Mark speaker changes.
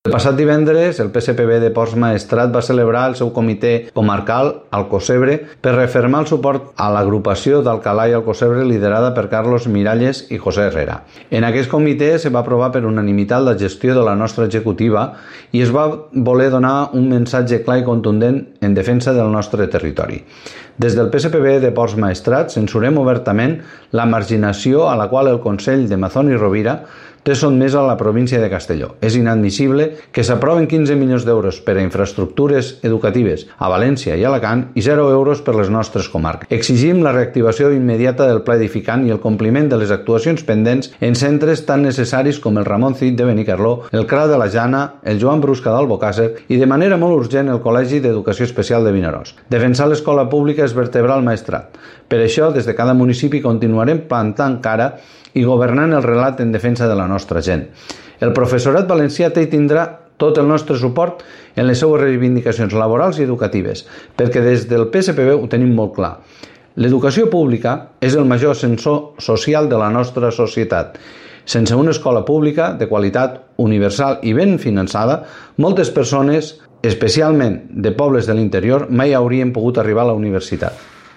Speaker 1: El passat divendres, el PSPB de Ports Maestrat va celebrar el seu comitè comarcal Alcocebre per refermar el suport a l'agrupació d'Alcalà i Alcocebre liderada per Carlos Miralles i José Herrera. En aquest comitè se va aprovar per unanimitat la gestió de la nostra executiva i es va voler donar un missatge clar i contundent en defensa del nostre territori. Des del PSPB de Ports Maestrat censurem obertament la marginació a la qual el Consell de Mazón i Rovira té sotmesa a la província de Castelló. És inadmissible que s'aproven 15 milions d'euros per a infraestructures educatives a València i Alacant i 0 euros per les nostres comarques. Exigim la reactivació immediata del pla edificant i el compliment de les actuacions pendents en centres tan necessaris com el Ramon Cid de Benicarló, el CRA de la Jana, el Joan Brusca d'Albocàsser i de manera molt urgent el Col·legi d'Educació Especial de Vinaròs. Defensar l'escola pública és vertebrar el Maestrat. Per això, des de cada municipi continuarem plantant cara i governant el relat en defensa de la nostra gent. El professorat valencià té i tindrà tot el nostre suport en les seues reivindicacions laborals i educatives, perquè des del PSPB ho tenim molt clar. L'educació pública és el major ascensor social de la nostra societat. Sense una escola pública de qualitat universal i ben finançada, moltes persones, especialment de pobles de l'interior, mai haurien pogut arribar a la universitat.